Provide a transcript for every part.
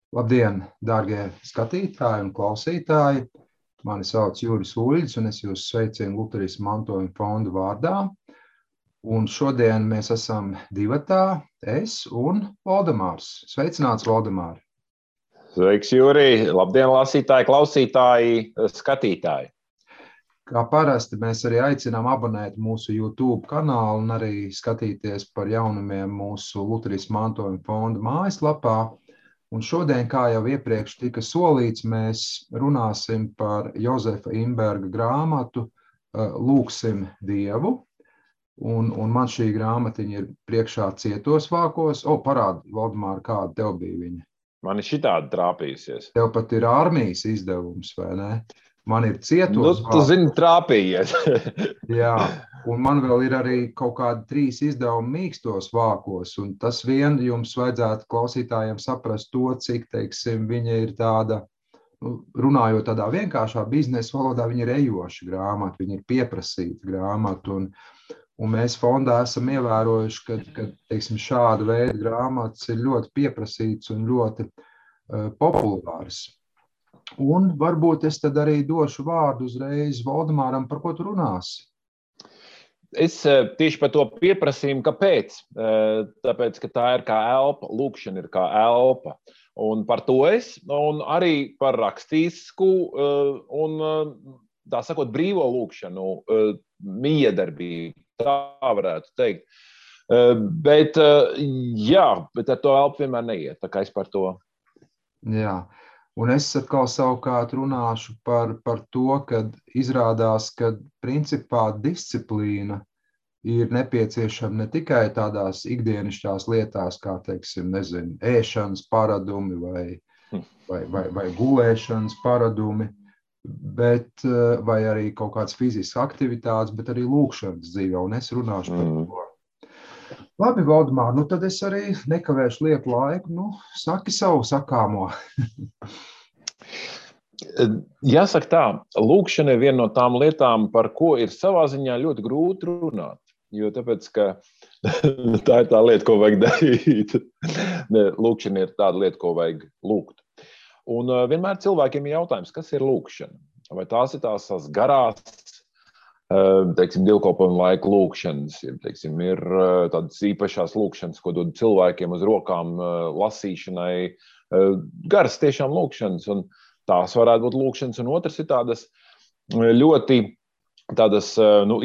Labdien, dārgie skatītāji un klausītāji! Mani sauc Juris Uļģis, un es jūs sveicinu Luterisma mantojuma fonda vārdā. Un šodien mēs esam divatā, es un Valdemārs. Sveicināts, Valdemār! Sveiks, Juri! Labdien, lasītāji, klausītāji, skatītāji! Kā parasti mēs arī aicinām abonēt mūsu YouTube kanālu un arī skatīties par jaunumiem mūsu Luterisma mantojuma fonda mājaslapā. Un šodien, kā jau iepriekš tika solīts, mēs runāsim par Jozefa Imberga grāmatu Lūgsim Dievu. Un man šī grāmatiņa ir priekšā cietos vākos. Parādi, Valdemār, kāda tev bija viņa? Man ir šitādi trāpījusies. Tev pat ir armijas izdevums, vai ne? Man ir cietos vākos. Tu zini, trāpījies. Jā, un man vēl ir arī kaut kādi 3 izdevumi mīkstos vākos, un tas vien jums vajadzētu klausītājiem saprast to, cik, teiksim, viņa ir tāda, runājot tādā vienkāršā biznesa valodā, viņa ir ejoša grāmata, viņa ir pieprasīta grāmata, un mēs fondā esam ievērojuši, ka teiksim, šāda veida grāmatas ir ļoti pieprasītas un ļoti populāras. Un varbūt es tad arī došu vārdu uzreiz Valdemāram, par ko tu runāsi. Es tieši par to pieprasījumu, kāpēc? Tāpēc, ka tā ir kā elpa, lūkšana ir kā elpa. Un par to un arī par rakstīsku un, tā sakot, brīvo lūkšanu, miedarbību, tā varētu teikt. Bet ar to elpu vienmēr neiet, tā kā es par to. Jā. Un es atkal savukārt runāšu par to, ka izrādās, ka principā disciplīna ir nepieciešama ne tikai tādās ikdienišķās lietās, kā, teiksim, ēšanas paradumi vai gulēšanas paradumi, vai arī kaut kādas fiziskas aktivitātes, bet arī lūkšanas dzīvē, un es runāšu par to. Labi, Valdemār, tad es arī nekavēšu lieku laiku, saki savu sakāmo. Jāsaka tā, lūkšana ir viena no tām lietām, par ko ir savā ziņā ļoti grūti runāt, jo tāpēc, ka tā ir tā lieta, ko vajag darīt. Lūkšana ir tāda lieta, ko vajag lūgt. Un vienmēr cilvēkiem ir jautājums, kas ir lūkšana? Vai tās ir tās garās, teiksim, dievkalpojuma laika lūkšanas, teiksim, ir tādas īpašās lūkšanas, ko dod cilvēkiem uz rokām lasīšanai, garas tiešām lūkšanas, un tās varētu būt lūkšanas, un otrs ir tādas ļoti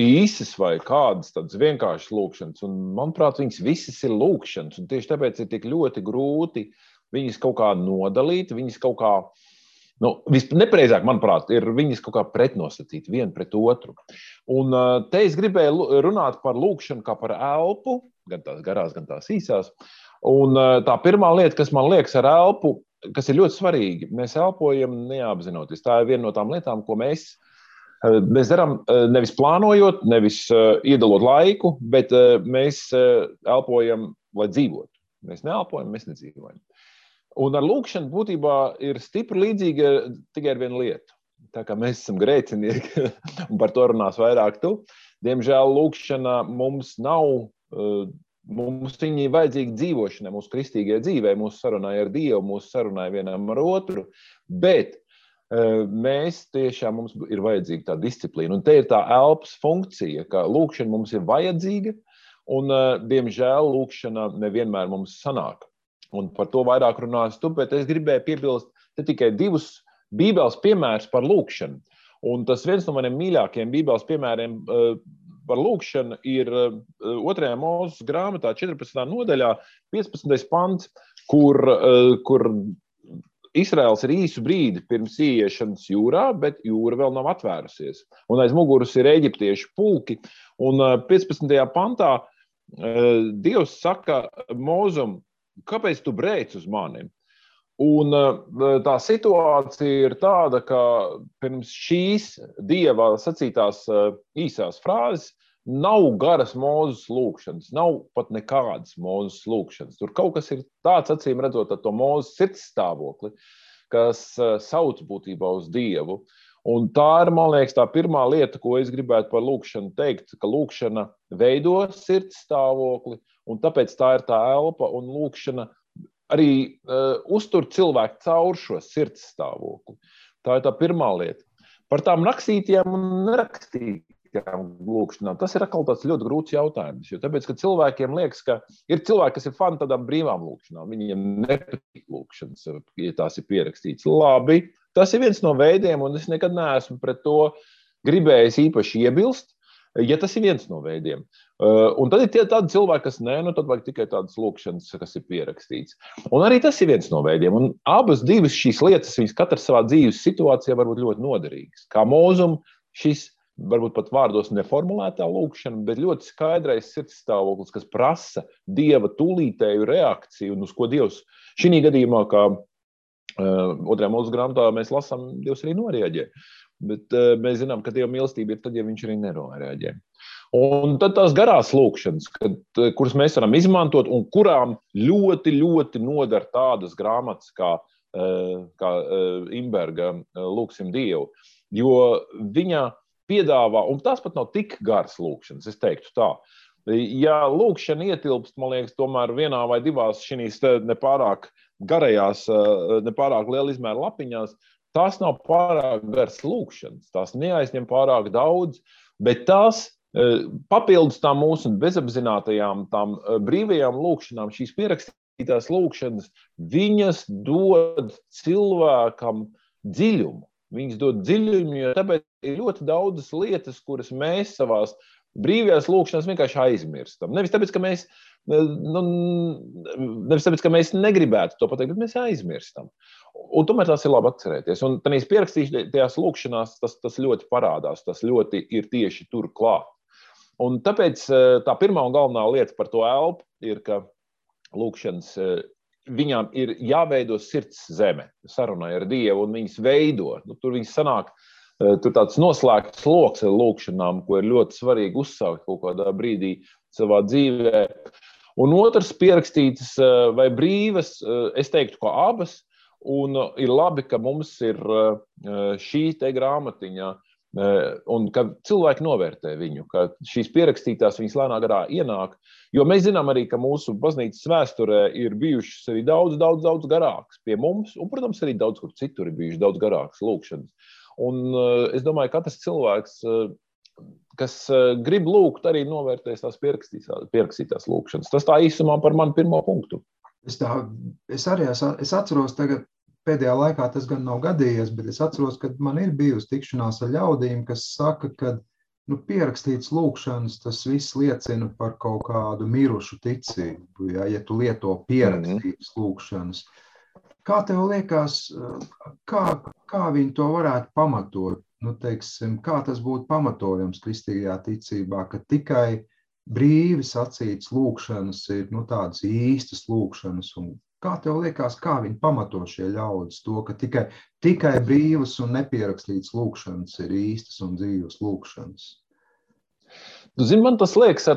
īsas vai kādas tādas vienkāršas lūkšanas, un manuprāt, viņas visas ir lūkšanas, un tieši tāpēc ir tik ļoti grūti viņas kaut kā nodalīt, viņas kaut kā, nepareizāk, manuprāt, ir viņas kaut kā pretnostatīt vienu pret otru. Un te es gribēju runāt par lūkšanu kā par elpu, gan tās garās, gan tās īsās. Un tā pirmā lieta, kas man liekas ar elpu, kas ir ļoti svarīgi, mēs elpojam neapzinoties. Tā ir viena no tām lietām, ko mēs darām nevis plānojot, nevis iedalot laiku, bet mēs elpojam, lai dzīvotu. Mēs neelpojam, mēs nedzīvojam. Un ar lūkšanu būtībā ir stipri līdzīga tikai ar vienu lietu. Tā kā mēs esam grēcinieki, un par to runās vairāk tu. Diemžēl lūkšana mums nav, mums viņa ir vajadzīga dzīvošanai, mūsu kristīgajai dzīvē, mūsu sarunai ar Dievu, mūsu sarunai vienam ar otru, bet mēs tiešām mums ir vajadzīga tā disciplīna. Un te ir tā elpas funkcija, ka lūkšana mums ir vajadzīga, un diemžēl lūkšana nevienmēr mums sanāk. Un par to vairāk runās tu, bet es gribēju piebilst te tikai 2 bībeles piemērus par lūkšanu. Un tas viens no maniem mīļākajiem bībeles piemēriem par lūkšanu ir 2. Mūzes grāmatā 14. nodaļā 15. pants, kur Izraels ir īsu brīdi pirms ieiešanas jūrā, bet jūra vēl nav atvērusies. Un aiz muguras ir eģiptiešu pulki. Un 15. pantā Dievs saka Mūzum, kāpēc tu brēc uz mani? Un tā situācija ir tāda, ka pirms šīs Dieva sacītās īsās frāzes nav garas Mūzes lūkšanas, nav pat nekādas Mūzes lūkšanas. Tur kaut kas ir tāds, acīm redzot, ar to Mūzes sirdstāvokli, kas sauc būtībā uz Dievu. Un tā ir, man liekas, tā pirmā lieta, ko es gribētu par lūkšanu teikt, ka lūkšana veido sirdstāvokli, un tāpēc tā ir tā elpa, un lūkšana arī uztur cilvēku caur šo sirds stāvokli. Tā ir tā pirmā lieta. Par tām rakstītajām un nerakstītajām lūkšanām. Tas ir atkal tāds ļoti grūts jautājums. Jo tāpēc, ka cilvēkiem liekas, ka ir cilvēki, kas ir fani tādām brīvām lūkšanām. Viņiem nepatīk lūkšanas, ja tās ir pierakstīts. Labi, tas ir viens no veidiem, un es nekad neesmu pret to gribējis īpaši iebilst, ja tas ir viens no veidiem. Un tad ir tādi cilvēki, kas tad vajag tikai tādas lūkšanas, kas ir pierakstīts. Un arī tas ir viens no veidiem. Un abas divas šīs lietas, viņas katrs savā dzīves situācijā var būt ļoti noderīgas. Kā mūzum šis, varbūt pat vārdos neformulētā lūkšana, bet ļoti skaidrais sirdstāvoklis, kas prasa Dieva tūlītēju reakciju, un uz ko Dievs šī gadījumā, kā otrajā mūsu grāmatā mēs lasām, Dievs arī noreaģē. Bet mēs zinām, ka Dieva mīlestība ir tad, ja viņš arī nereaģē. Un tad tās garās lūkšanas, kuras mēs varam izmantot un kurām ļoti, ļoti nodar tādas grāmatas kā Imberga Lūksim Dievu, jo viņa piedāvā, un tās pat nav tik garas lūkšanas, es teiktu tā. Ja lūkšana ietilpst, man liekas, tomēr vienā vai divās šīs nepārāk garajās, nepārāk liela izmēra lapiņās, tās nav pārāk garas lūkšanas, tās neaizņem pārāk daudz, bet tās papildus tām mūsu bezapzinātajām, tām brīvajām lūkšanām, šīs pierakstītās lūkšanas, viņas dod cilvēkam dziļumu. Viņas dod dziļumu, jo tāpēc ir ļoti daudzas lietas, kuras mēs savās brīvajās lūkšanās vienkārši aizmirstam. Nevis tāpēc, ka mēs negribētu to pateikt, bet mēs aizmirstam. Un tomēr tās ir labi atcerēties. Un tādīs pierakstītajās lūkšanās tas ļoti parādās, tas ļoti ir tieši tur klāt. Un tāpēc tā pirmā un galvenā lieta par to elpu ir, ka lūkšanas viņām ir jāveido sirds zeme, sarunai ar Dievu, un viņas veido. Tur viņas sanāk, tur tāds noslēgts loks ar lūkšanām, ko ir ļoti svarīgi uzsākt kaut kādā brīdī savā dzīvē. Un otrs pierakstītas vai brīvas, es teiktu, ko abas, un ir labi, ka mums ir šī te grāmatiņa, un ka cilvēki novērtē viņu, ka šīs pierakstītās viņas lēnā garā ienāk, jo mēs zinām arī, ka mūsu baznīcas vēsturē ir bijušas arī daudz garākas pie mums, un, protams, arī daudz kur citur ir bijušas daudz garākas lūkšanas. Un es domāju, ka katrs cilvēks, kas grib lūgt, arī novērtēs tās pierakstītās lūkšanas. Tas tā īsumā par manu pirmo punktu. Es atceros tagad, pēdējā laikā tas gan nav gadījies, bet es atceros, ka man ir bijusi tikšanās ar ļaudīm, kas saka, ka pierakstīts lūkšanas, tas viss liecina par kaut kādu mirušu ticību, ja tu lieto pierakstītas lūkšanas. Kā tev liekas, kā viņi to varētu pamatot? Teiksim, kā tas būtu pamatojams kristīgajā ticībā, ka tikai brīvi sacītas lūkšanas ir tādas īstas lūkšanas, un kā tev liekas, kā viņi pamato šie ļaudis to, ka tikai brīvas un nepierakstītas lūkšanas ir īstas un dzīvas lūkšanas? Zini, man tas liekas,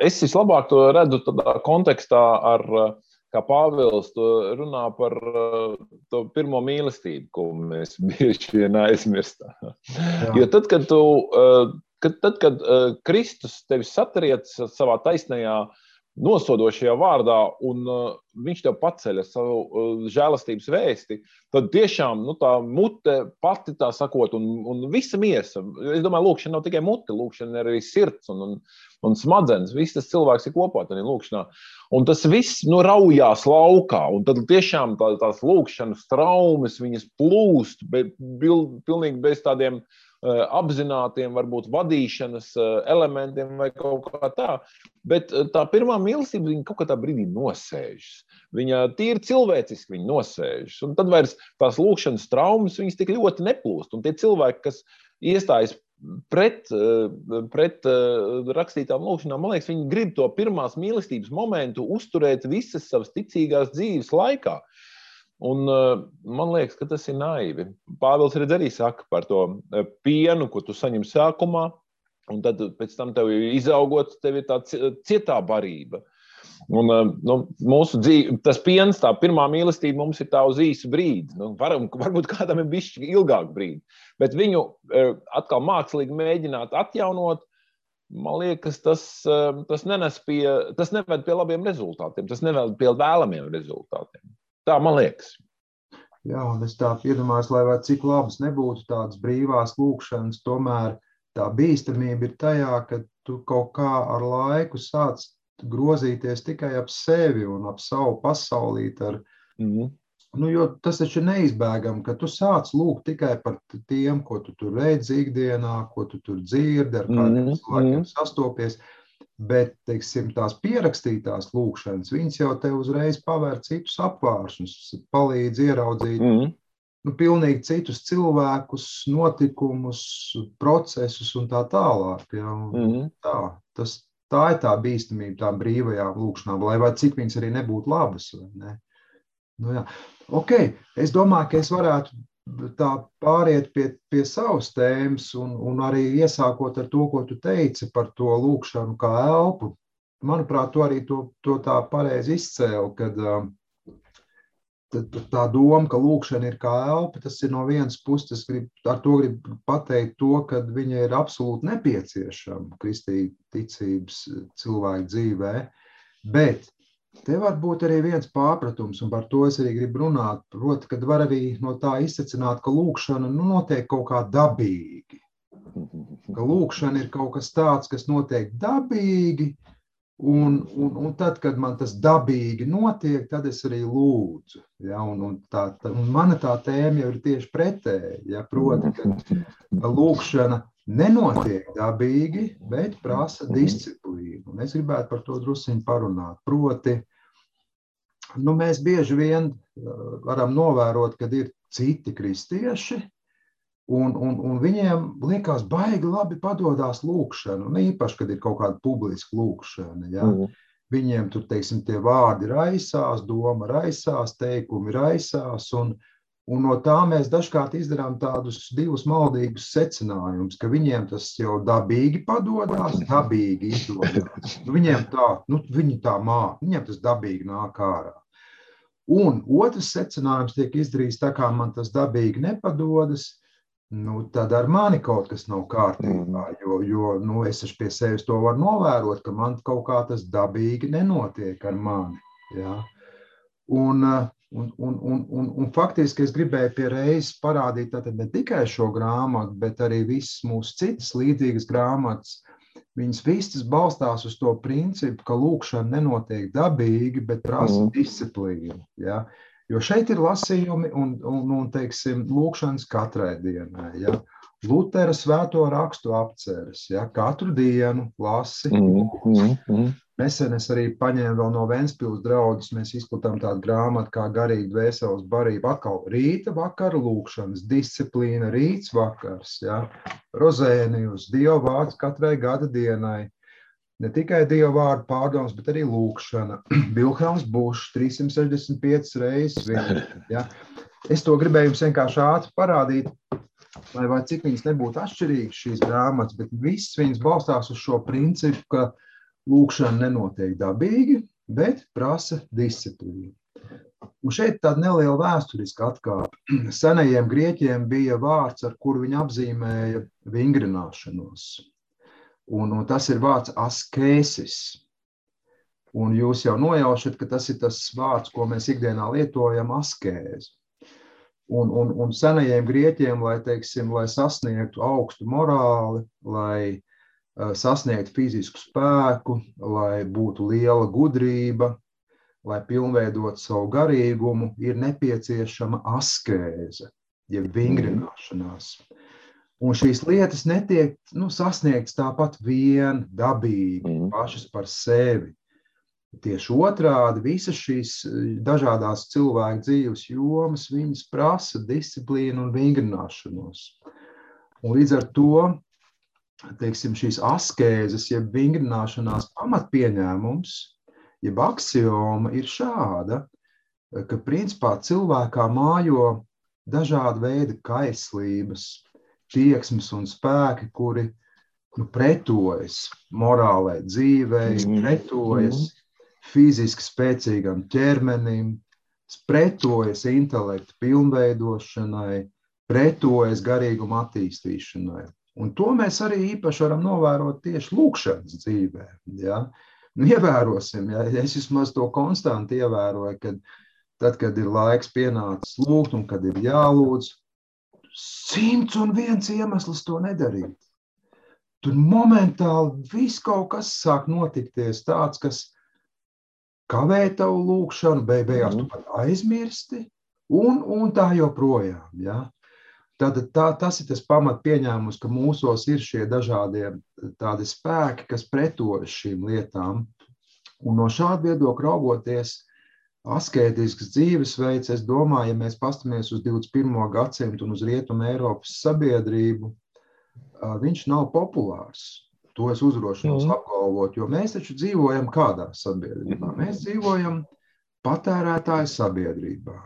es vislabāk to redzu tādā kontekstā ar, kā Pāvils to runā par to pirmo mīlestību, ko mēs bieži vien aizmirstam. Jo tad, kad Kristus tevi satriec savā taisnajā nosodošajā vārdā, un viņš tev paceļ ar savu žēlastības vēsti, tad tiešām tā mute pati tā sakot, un visa miesa, es domāju, lūkšana nav tikai mute, lūkšana ir arī sirds un smadzenes, viss tas cilvēks ir kopā tādā lūkšanā. Un tas viss raujās laukā, un tad tiešām tās lūkšanas traumas, viņas plūst, pilnīgi bez tādiem apzinātiem, varbūt vadīšanas elementiem vai kaut kā tā. Bet tā pirmā mīlestība, viņa kaut kā tā brīdī nosēžas. Viņa tīri cilvēciski viņa nosēžas. Un tad vairs tās lūkšanas traumas, viņas tik ļoti neplūst. Un tie cilvēki, kas iestājas pret rakstītām lūkšanām, man liekas, viņi grib to pirmās mīlestības momentu uzturēt visas savas ticīgās dzīves laikā. Un man liekas, ka tas ir naivi. Pāvils arī saka par to pienu, ko tu saņem sākumā, un tad pēc tam tev izaugot, tev ir tā cietā barība. Un mūsu dzīve, tas piens, tā pirmā mīlestība mums ir tā uz īsu brīdi. Varbūt kādam ir bišķi ilgāk brīdi, bet viņu atkal mākslīgi mēģināt atjaunot, man liekas, tas neved pie labiem rezultātiem, tas neved pie vēlamiem rezultātiem. Tā man liekas. Jā, un es tā iedomājos, lai vai cik labas nebūtu tādas brīvās lūkšanas, tomēr tā bīstamība ir tajā, ka tu kaut kā ar laiku sāc grozīties tikai ap sevi un ap savu pasaulīti ar. Jo tas taču ir neizbēgami, ka tu sāc lūgt tikai par tiem, ko tu tur redzi ikdienā, ko tu tur dzirdi, ar kādiem cilvēkiem sastopies. Bet, teiksim, tās pierakstītās lūkšanas, viņas jau tev uzreiz pavēr citus apvāršņus, palīdz ieraudzīt pilnīgi citus cilvēkus, notikumus, procesus un tā tālāk. Ja? Tā ir tā bīstamība tām brīvajām lūkšanām, lai vai cik viņas arī nebūtu labas. Vai ne? Jā. Ok, es domāju, ka es varētu tā pāriet pie savas tēmas un arī iesākot ar to, ko tu teici par to lūkšanu kā elpu. Manuprāt, tu arī to tā pareizi izcēli, kad tā doma, ka lūkšana ir kā elpa, tas ir no vienas puses, ar to gribu pateikt to, ka viņa ir absolūti nepieciešama kristīga ticības cilvēku dzīvē, bet te var būt arī viens pārpratums, un par to es arī gribu runāt. Proti, kad var arī no tā izsecināt, ka lūkšana notiek kaut kā dabīgi. Ka lūkšana ir kaut kas tāds, kas notiek dabīgi, un tad, kad man tas dabīgi notiek, tad es arī lūdzu. Ja? Un mana tā tēma jau ir tieši pretēji. Ja? Proti, ka lūkšana nenotiek dabīgi, bet prasa disciplīnu. Un es gribētu par to drusciņu parunāt. Proti, mēs bieži vien varam novērot, kad ir citi kristieši, un viņiem liekas baigi labi padodās lūkšana, un īpaši, kad ir kaut kāda publiska lūkšana. Ja? Viņiem tur, teiksim, tie vārdi raisās, doma raisās, teikumi raisās, un no tā mēs dažkārt izdarām tādus divus maldīgus secinājumus, ka viņiem tas jau dabīgi padodās, dabīgi izdodas. Viņiem viņi tā māk, viņiem tas dabīgi nāk ārā. Un otrs secinājums tiek izdarīts tā, kā man tas dabīgi nepadodas, tad ar mani kaut kas nav kārtībā, jo es pie sevis to varu novērot, ka man kaut kā tas dabīgi nenotiek ar mani. Ja? Un faktiski es gribēju pie reizes parādīt tātad ne tikai šo grāmatu, bet arī visas mūsu citas līdzīgas grāmatas. Viņas visas balstās uz to principu, ka lūkšana nenotiek dabīgi, bet prasa disciplīnu. Ja? Jo šeit ir lasījumi un teiksim, lūkšanas katrai dienai. Ja? Lutera svēto rakstu apceres. Ja? Katru dienu lasi. Nesen es arī paņēmu vēl no Ventspils draudzes, mēs izplatām tādu grāmatu kā garīga dvēseles barība. Atkal rīta vakara lūkšanas, disciplīna, rīts vakars, ja? Rozēnijus, Dieva vārds katrai gada dienai. Ne tikai Dieva vārdu pārdoms, bet arī lūkšana. Vilhelms Bušs 365 reizes viņa. Ja? Es to gribēju jums vienkārši ātri parādīt, lai vai cik viņas nebūtu atšķirīgas šīs grāmatas, bet viss viņas balstās uz šo principu, ka lūkšana nenotiek dabīgi, bet prasa disciplīnu. Un šeit tāda neliela vēsturiska atkāpe. Senajiem grieķiem bija vārds, ar kuru viņi apzīmēja vingrināšanos. Un tas ir vārds askēsis. Un jūs jau nojaušat, ka tas ir tas vārds, ko mēs ikdienā lietojam, askēzi. Un senajiem grieķiem, lai sasniegtu augstu morāli, lai sasniegt fizisku spēku, lai būtu liela gudrība, lai pilnveidot savu garīgumu, ir nepieciešama askēze, jeb vingrināšanās. Un šīs lietas netiek sasniegtas tāpat vien dabīgi, pašas par sevi. Tieši otrādi, visas šīs dažādās cilvēku dzīves jomas, viņas prasa disciplīnu un vingrināšanos. Un līdz ar to, teiksim, šīs askēzes, jeb vingrināšanās pamatpieņēmums, jeb aksioma ir šāda, ka principā cilvēkā mājo dažādi veidi kaislības, tieksmes un spēki, kuri pretojas morālai dzīvei, pretojas fiziski spēcīgam ķermenim, pretojas intelekta pilnveidošanai, pretojas garīguma attīstīšanai. Un to mēs arī īpaši varam novērot tieši lūkšanas dzīvē. Ja? Nu, ievērosim, ja es vismaz to konstanti ievēroju, kad tad, kad ir laiks pienācis lūgt un kad ir jālūdz, 101 iemesls to nedarīt. Tur momentāli viss kaut kas sāk notikties tāds, kas kavē tavu lūkšanu, beigās tu pat aizmirsti un tā joprojām. Ja? Tad tas ir tas pamat pieņēmums, ka mūsos ir šie dažādie tādi spēki, kas pretojas šīm lietām. Un no šāda viedokļa raugoties, askētisks dzīvesveids, es domāju, ja mēs pastamies uz 21. gadsimtu un uz Rietumu Eiropas sabiedrību, viņš nav populārs. To es uzrošinos apgalvot, jo mēs taču dzīvojam kādā sabiedrībā. Mēs dzīvojam patērētāju sabiedrībā,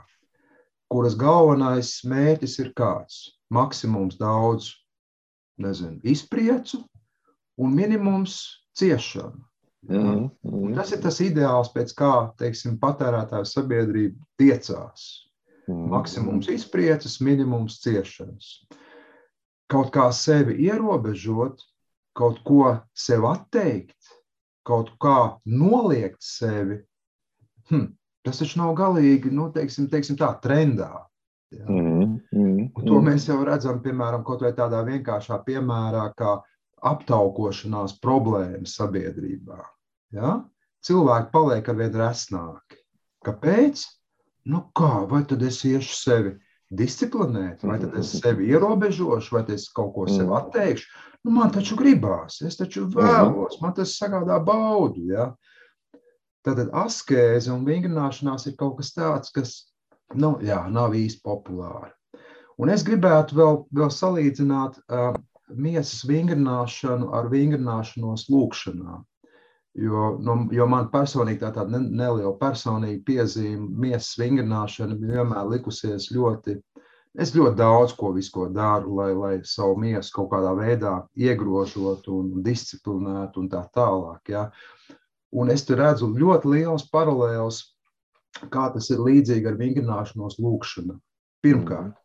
kuras galvenais mērķis ir kāds? Maksimums daudz, izpriecu un minimums ciešanu. Un tas ir tas ideāls, pēc kā, teiksim, patērētāju sabiedrība tiecās. Maksimums izprieces, minimums ciešanas. Kaut kā sevi ierobežot, kaut ko sev atteikt, kaut kā noliegt sevi, tas taču nav galīgi, teiksim tā, trendā. Ja? Un to mēs jau redzam, piemēram, kaut vai tādā vienkāršā piemērā, kā aptaukošanās problēmas sabiedrībā. Ja? Cilvēki paliek arvien resnāki. Kāpēc? Vai tad es iešu sevi disciplinēt, vai tad es sevi ierobežošu, vai es kaut ko sev atteikšu? Man taču gribās, es taču vēlos, man tas sagādā baudu. Ja? Tātad askēze un vingrināšanās ir kaut kas tāds, kas nav īsti populāri. Un es gribētu vēl salīdzināt miesas vingrināšanu ar vingrināšanos lūkšanā. Jo man personīgi tāda neliela personīga piezīme, miesas vingrināšana vienmēr likusies es ļoti daudz ko daru, lai savu miesu kaut kādā veidā iegrožotu un disciplinētu un tā tālāk. Ja? Un es te redzu ļoti liels paralēls, kā tas ir līdzīgi ar vingrināšanos lūkšanā. Pirmkārt,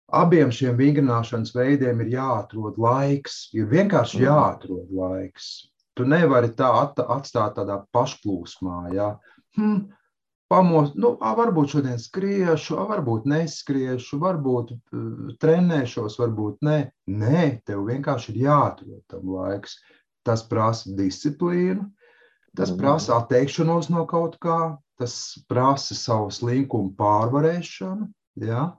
abiem šiem vingrināšanas veidiem ir jāatrod laiks, ir vienkārši jāatrod laiks. Tu nevari tā atstāt tādā pašplūsmā, ja? Varbūt šodien skriešu, varbūt neskriešu, varbūt trenēšos, varbūt ne. Nē, tev vienkārši ir jāatrod tam laiks. Tas prasa disciplīnu, tas prasa atteikšanos no kaut kā, tas prasa savu slinkumu pārvarēšanu. Ja?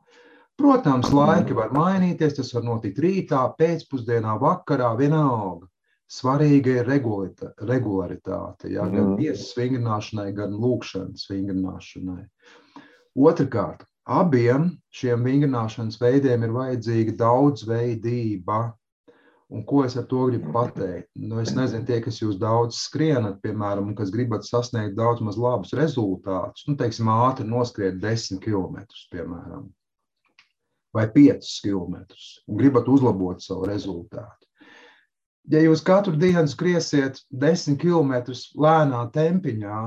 Protams, laiki var mainīties, tas var notikt rītā, pēcpusdienā, vakarā, vienalga. Svarīga ir regularitāte, ja? Gan miesas vingrināšanai, gan lūkšanas vingrināšanai. Otrakārt, abiem šiem vingrināšanas veidiem ir vajadzīga daudzveidība. Un ko es ar to gribu pateikt? Es nezinu, tie, kas jūs daudz skrienat, piemēram, un kas gribat sasniegt daudz maz labus rezultātus, teiksim, ātri noskriet 10 kilometrus, piemēram, vai 5 kilometrus, un gribat uzlabot savu rezultātu. Ja jūs katru dienu skriesiet 10 kilometrus lēnā tempiņā,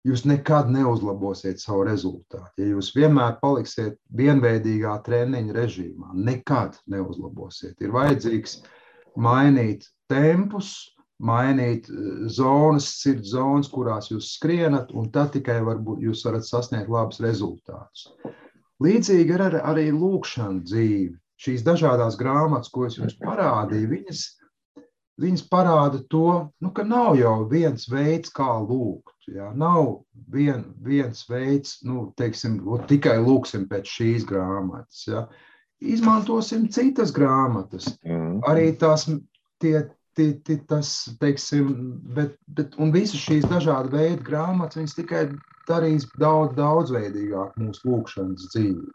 jūs nekad neuzlabosiet savu rezultātu. Ja jūs vienmēr paliksiet vienveidīgā treniņa režīmā, nekad neuzlabosiet. Ir vajadzīgs mainīt tempus, mainīt sirds zonas, kurās jūs skrienat, un tad tikai jūs varat sasniegt labus rezultātus. Līdzīgi ir arī lūkšana dzīve. Šīs dažādās grāmatas, ko es jums parādīju, viņas parāda to, ka nav jau viens veids, kā lūgt. Ja? Nav viens veids, teiksim, tikai lūksim pēc šīs grāmatas. Ja? Izmantosim citas grāmatas. Arī tas, teiksim, un visas šīs dažāda veida grāmatas, viņas tikai darīs daudzveidīgāk mūsu lūkšanas dzīvi.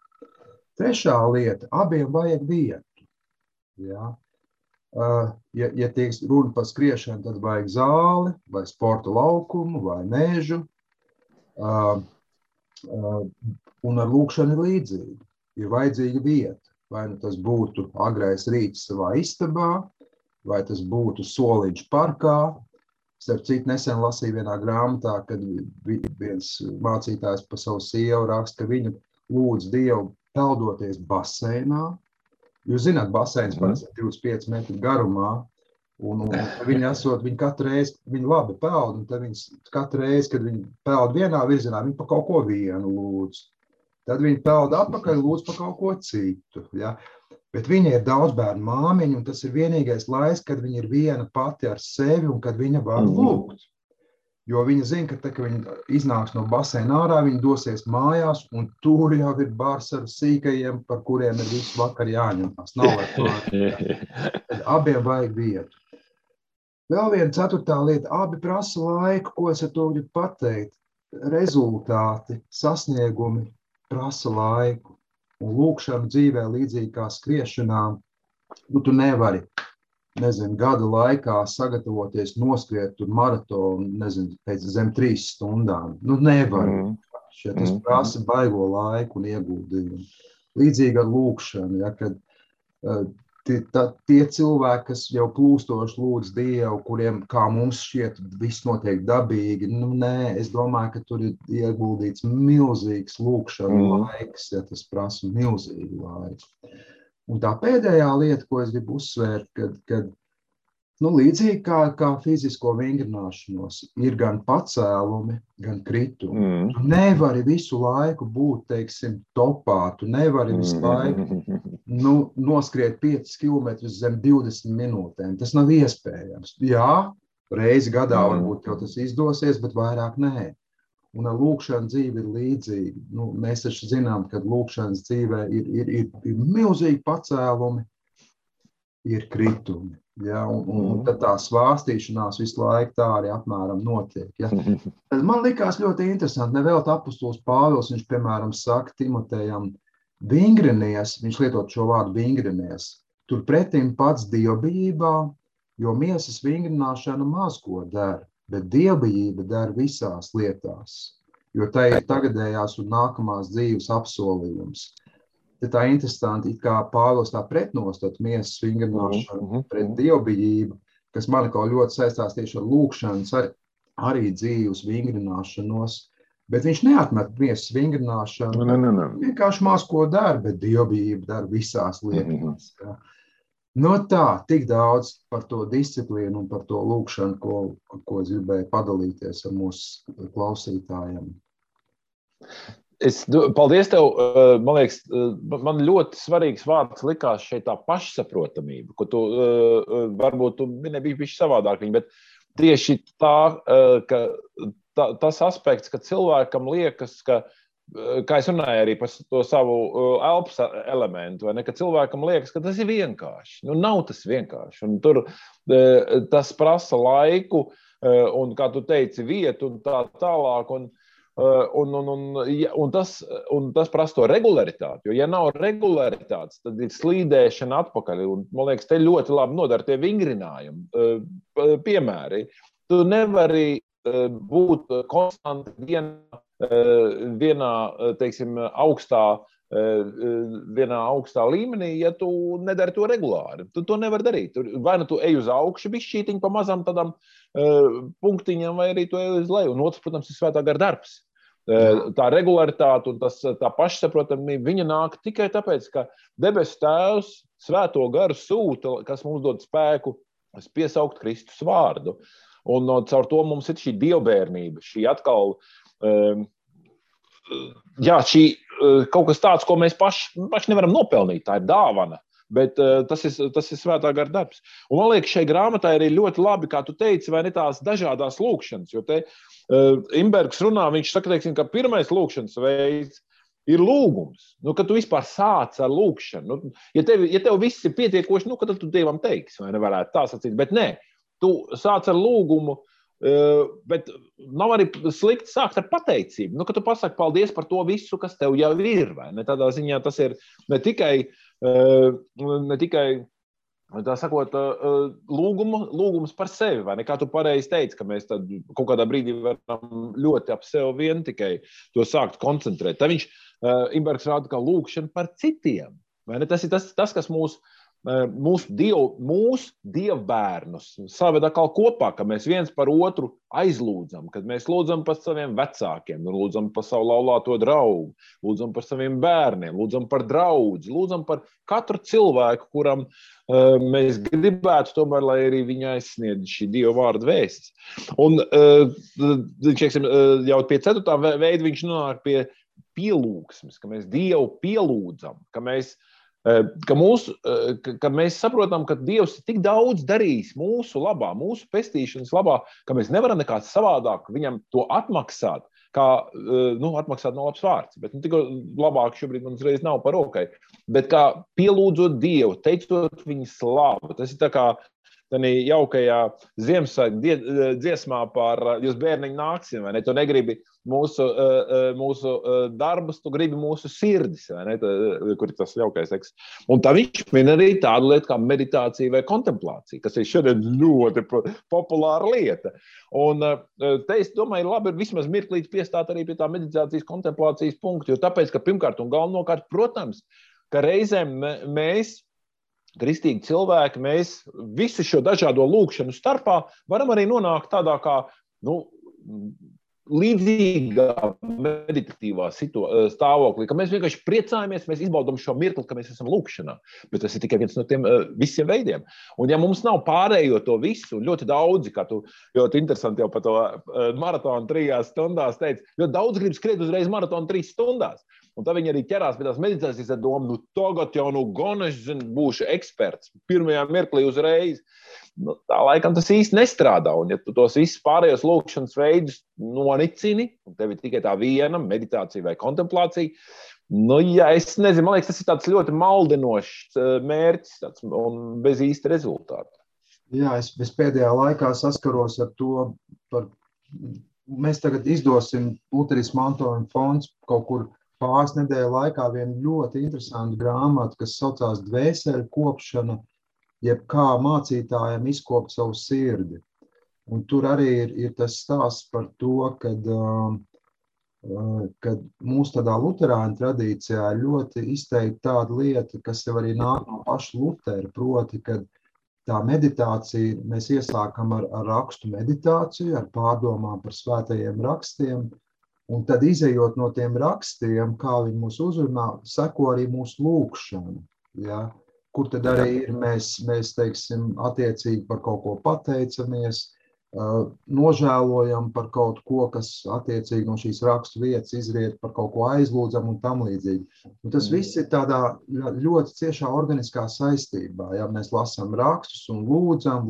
Trešā lieta, abiem vajag vietu. Ja? Ja tiek runa par skriešanu, tad vajag zāli, vai sporta laukumu, vai mežu. Un ar lūkšanu ir līdzīgi. Ir vajadzīga vieta. Vai tas būtu agrais rīts savā istabā, vai tas būtu soliņš parkā. Starp citu, nesen lasīju vienā grāmatā, kad viens mācītājs par savu sievu raksta, ka viņa lūdz Dievu peldoties baseinā, Jūs zināt, baseins parasti 25 metru garumā, un viņi katru reizi, viņi labi peld, un tad viņi katru reizi, kad viņi peld vienā virzienā, viņi pa kaut ko vienu lūdz. Tad viņi peld atpakaļ, lūdz pa kaut ko citu, ja. Bet viņa ir daudz bērnu māmiņa, un tas ir vienīgais laiks, kad viņa ir viena pati ar sevi un kad viņa var lūgt. Jo viņa zina, ka, kad viņa iznāks no baseina ārā, viņa dosies mājās, un tur jau ir bars ar sīkajiem, par kuriem ir visu vakar jāņemās. Nav vairs mājās. Tad abiem vajag vietu. Vēl viena ceturtā lieta, abi prasa laiku, ko es ar to gribu pateikt. Rezultāti, sasniegumi prasa laiku. Un lūkšana dzīvē līdzīgi kā skriešanā, tu nevari, gada laikā sagatavoties noskriet maratonu, pēc zem 3 stundām. Nevari. Tas prasa baigo laiku un ieguldījumu. Līdzīgi ar lūkšanu, ja, kad tie cilvēki, kas jau plūstoši lūdz Dievu, kuriem, kā mums šķiet, viss notiek dabīgi, nē, es domāju, ka tur ir ieguldīts milzīgs lūkšanu laiks, ja tas prasa milzīgu laiku. Un tā pēdējā lieta, ko es gribu uzsvērt, kad līdzīgi kā fizisko vingrināšanos, ir gan pacēlumi, gan kritumi. Tu nevari visu laiku būt, topā, tu nevari visu laiku noskriet 5 km zem 20 minūtēm. Tas nav iespējams. Jā, reizi gadā varbūt jau tas izdosies, bet vairāk nē. Un ar lūkšanu dzīve ir līdzīgi. Mēs taču zinām, ka lūkšanas dzīvē ir milzīgi pacēlumi, ir kritumi. Ja, un tad tā svārstīšanās visu laiku tā arī apmēram notiek. Ja. Man likās ļoti interesanti, nevēl apostols Pāvils, viņš, piemēram, saka Timotejam, vingrinies, viņš lietot šo vārdu vingrinies, tur pretim pats dievbijībā, jo miesas vingrināšana maz ko dara, bet dievbijība dara visās lietās, jo tā ir tagadējās un nākamās dzīves apsolījums. Tā interesanti, it kā Pāvils tā pretnostat miesas vingrināšanu pret dievbijību, kas man kaut ļoti saistās tieši ar lūkšanas, arī dzīves vingrināšanos, bet viņš neatmet miesas vingrināšanu, vienkārši maz ko dara, bet dievbijība dara visās lietās. Tā, tik daudz par to disciplīnu un par to lūkšanu, ko es gribēju padalīties ar mūsu klausītājiem. Paldies tev, man liekas, man ļoti svarīgs vārds likās šeit tā pašsaprotamība, ko tu varbūt tu nebija bišķi savādāk viņa, bet tieši tas aspekts, ka cilvēkam liekas, ka es runāju arī par to savu elpas elementu, vai ne, ka cilvēkam liekas, ka tas ir vienkārši. Nav tas vienkārši. Un tur tas prasa laiku un, kā tu teici, vietu un tā tālāk. Un tas prasa to regularitāti, jo ja nav regularitātes, tad ir slīdēšana atpakaļ, un man liekas, te ļoti labi nodara tie vingrinājumi, piemēri. Tu nevari būt konstanti vienā augstā līmenī, ja tu nedari to regulāri. Tu to nevar darīt. Vai nu tu ej uz augšu bišķītiņu pa mazām tādām punktiņām, vai arī tu ej uz leju. Un otrs, protams, ir svētā gara darbs. Tā regularitāte un tā pašsaprotamība, viņa nāk tikai tāpēc, ka debesu Tēvs svēto garu sūta, kas mums dod spēku piesaukt Kristus vārdu. Un caur to mums ir šī dievbērnība, šī atkal, šī kaut kas tāds, ko mēs paši nevaram nopelnīt, tā ir dāvana. Bet tas ir svētā gara darbs. Un man liekas, šai grāmatai arī ļoti labi, kā tu teici, vai ne tās dažādās lūkšanas, jo te Imbergs runā, viņš saka, ka pirmais lūkšanas veids ir lūgums. Kad tu vispār sāc ar lūkšanu, ja tev viss ir pietiekoši, kad tu Dievam teiksi, vai nevarētu tā sacīt, bet nē, tu sāc ar lūgumu, bet nav arī slikti sākt ar pateicību. Kad tu pasaki paldies par to visu, kas tev jau ir, vai ne? Tādā ziņā tas ir ne tikai tā sakot, lūgums par sevi, vai ne? Kā tu pareizi teici, ka mēs tad kaut kādā brīdī varam ļoti ap sevi vien tikai to sākt koncentrēt. Tā viņš, Imbergs rāda, kā lūkšana par citiem, vai ne? Tas ir tas, kas mūs mūsu dievbērnus saved atkal kopā, ka mēs viens par otru aizlūdzam, kad mēs lūdzam par saviem vecākiem, lūdzam par savu laulāto draugu, lūdzam par saviem bērniem, lūdzam par draudzi, lūdzam par katru cilvēku, kuram mēs gribētu tomēr, lai arī viņa aizsniedz šī Dieva vārda vēstis. Un jau pie 4. veida viņš nonāk pie pielūgsmes, ka mēs Dievu pielūdzam, ka mēs saprotam, ka Dievs ir tik daudz darījis mūsu labā, mūsu pestīšanas labā, ka mēs nevaram nekā savādāk viņam to atmaksāt, kā, atmaksāt nav labs vārds, bet tik labāk šobrīd man uzreiz nav par rokai, bet kā pielūdzot Dievu, teicot viņa slavu. Tas ir tā kā tādā jaukajā Ziemassvētku dziesmā par jūs bērniņi nāksim, vai ne? Tu negribi mūsu darbus, tu gribi mūsu sirdis, vai ne? Kur ir tas jaukais teksts. Un tā viņš min arī tādu lietu kā meditācija vai kontemplācija, kas ir šodien ļoti populāra lieta. Un te es domāju, labi ir vismaz mirklīt piestāt arī pie tā meditācijas kontemplācijas punktu, jo tāpēc, ka pirmkārt un galvenokārt, protams, ka reizēm mēs kristīgi cilvēki, mēs visu šo dažādo lūkšanu starpā varam arī nonākt tādā kā, līdzīgā meditatīvā stāvoklī, ka mēs vienkārši priecājamies, mēs izbaudam šo mirkli, ka mēs esam lūkšanā. Bet tas ir tikai viens no tiem visiem veidiem. Un ja mums nav pārējo to visu, ļoti daudzi, kā tu ļoti interesanti jau par to maratonu 3 stundās teici, ļoti daudz grib skriet uzreiz maratonu 3 stundās. Un tā viņi arī ķerās pie tās meditācijas ar domu, tagad jau gan es būšu eksperts, pirmajā mirklī uzreiz. Tā laikam tas īsti nestrādā, un ja tu tos visus pārējos lūkšanas veidus nonicini, un tev ir tikai tā viena meditācija vai kontemplācija, es nezinu, man liekas, tas ir tāds ļoti maldinošs mērķis un bez īsta rezultāta. Jā, es pēdējā laikā saskaros ar to, mēs tagad izdosim Luterismu mantojuma fonds kaut kur pāris nedēļu laikā vienu ļoti interesantu grāmatu, kas saucās Dvēseli kopšana, jeb kā mācītājiem izkopt savu sirdi. Un tur arī ir tas stāsts par to, kad mūsu tādā luterāņu tradīcijā ļoti izteikti tāda lieta, kas jau arī nāk no paša Lutera, proti, kad tā meditācija, mēs iesākam ar rakstu meditāciju, ar pārdomām par svētajiem rakstiem, un tad izejot no tiem rakstiem, kā viņi mūs uzrunā, seko arī mūsu lūkšana, ja? Kur tad arī ir mēs teiksim, attiecīgi par kaut ko pateicamies, nožēlojam par kaut ko, kas attiecīgi no šīs rakstu vietas izriet, par kaut ko aizlūdzam un tam līdzīgi. Un tas viss ir tādā ļoti ciešā organiskā saistībā, ja mēs lasām rakstus un lūdzam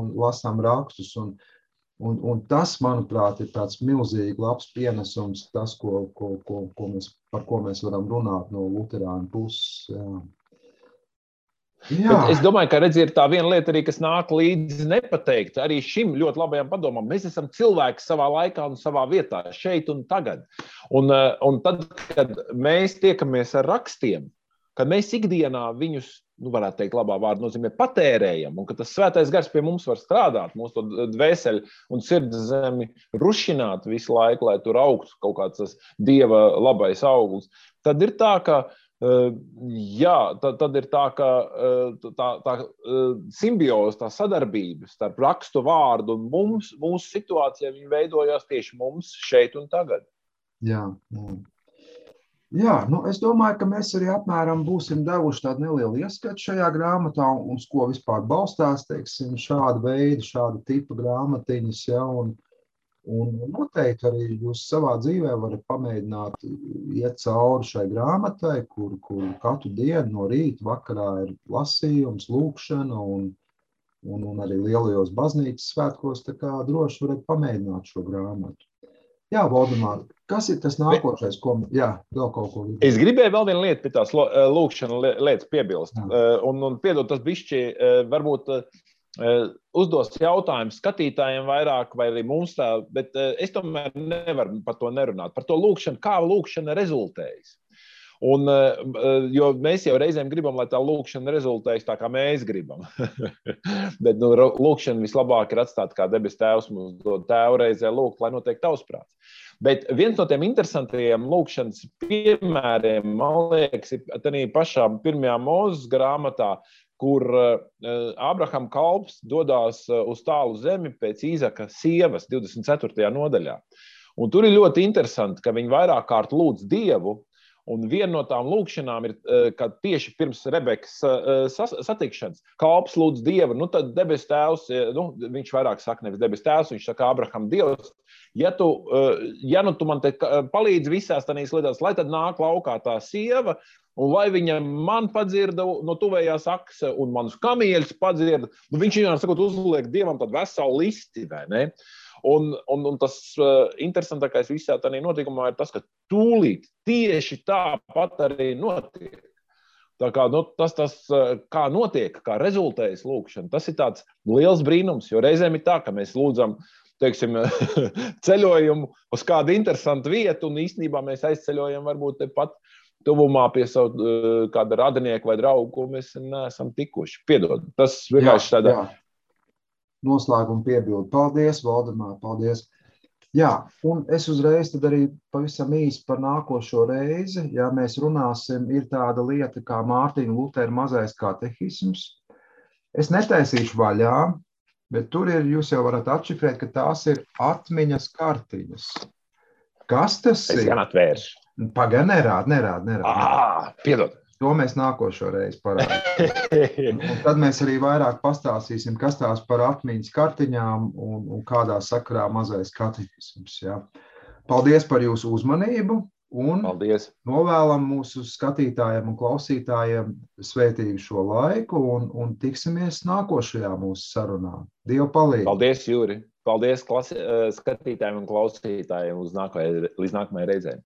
un lasām rakstus un tas, manuprāt, ir tāds milzīgi labs pienesums, tas, par ko mēs varam runāt no luterāņu puses. Jā. Bet es domāju, ka ir tā viena lieta arī, kas nāk līdzi nepateikt. Arī šim ļoti labajam padomam. Mēs esam cilvēki savā laikā un savā vietā, šeit un tagad. Un tad, kad mēs tiekamies ar rakstiem, kad mēs ikdienā viņus, varētu teikt, labā vārda nozīmē patērējam, un ka tas svētais gars pie mums var strādāt, mūsu to dvēseli un sirds zemi rušināt visu laiku, lai tur augtu kaut kāds tas Dieva labais auglis, tad ir tā, ka tad ir tā, ka tā simbioze, tā sadarbība starp rakstu vārdu un mūsu situācijā, viņi veidojās tieši mums šeit un tagad. Jā, es domāju, ka mēs arī apmēram būsim devuši tādu nelielu ieskatu šajā grāmatā, uz ko vispār balstās, teiksim, šāda tipa grāmatiņas, ja, un noteikti arī jūs savā dzīvē varat pamēģināt iet cauri šai grāmatai, kur katru dienu no rīta vakarā ir lasījums, lūkšana un arī lielajos baznīcas svētkos, tā kā droši varat pamēģināt šo grāmatu. Jā, Valdemār, kas ir tas nākošais, vēl kaut ko? Es gribēju vēl vienu lietu pie tās lūkšana lietas piebilst. Un piedod, tas bišķi varbūt uzdos jautājumu skatītājiem vairāk vai arī mums tā, bet es tomēr nevaru par to nerunāt. Par to lūkšanu, kā lūkšana rezultējas. Jo mēs jau reizēm gribam, lai tā lūkšana rezultējas tā, kā mēs gribam. Bet lūkšana vislabāk ir atstāt, kā debes tēvs mums dod tēvu reizē lūgt, lai notiek tavs prāts. Bet viens no tiem interesantajiem lūkšanas piemēriem, man liekas, ir tādā pašā 1. Mūzes grāmatā, kur Ābrahama kalps dodās uz tālu zemi pēc Īzaka sievas 24. nodaļā. Un tur ir ļoti interesanti, ka viņi vairāk kārt lūdz Dievu, un viena no tām lūkšanām ir, kad tieši pirms Rebekas satikšanas kalps lūdz Dievu, nu tad debes tēvs, viņš vairāk saka nevis debes tēvs, viņš saka Ābraham Dievs, ja tu man te palīdzi visās tādīs lietās, lai tad nāk laukā tā sieva, un lai viņa man padzirda no tuvējās akas un manus kamieļus padzirda, viņš viņam sakot uzliek Dievam tādu veselu listi, vai ne? Un tas interesantākais visā tādā notikumā ir tas, ka tūlīt tieši tāpat arī notiek. Tā kā tas kā notiek, kā rezultējas lūkšana, tas ir tāds liels brīnums, jo reizēm ir tā, ka mēs lūdzam, teiksim, ceļojumu uz kādu interesantu vietu, un īstenībā mēs aizceļojam varbūt tepat tuvumā pie savu kāda radinieka vai draugu, ko mēs neesam tikuši. Piedod, tas vienkārši tādā... Jā. Noslēgumu piebildu. Paldies, Valdemār, paldies. Jā, un es uzreiz tad arī pavisam īsi par nākošo reizi, ja mēs runāsim, ir tāda lieta kā Mārtiņa Lutera mazais katehisms. Es netaisīšu vaļā, bet tur ir, jūs jau varat atšifrēt, ka tās ir atmiņas kartiņas. Kas tas ir? Es gan atvēršu. Paga, nerād. Piedod. To mēs nākošo reizi parādīsim. Un tad mēs arī vairāk pastāstīsim, kas tās par atmiņas kartiņām un kādā sakarā mazais katehisms. Ja. Paldies par jūsu uzmanību un Paldies. Novēlam mūsu skatītājiem un klausītājiem svētīgu šo laiku un tiksimies nākošajā mūsu sarunā. Dievu palīdzi. Paldies, Jūri. Paldies skatītājiem un klausītājiem līdz nākamajai reizei.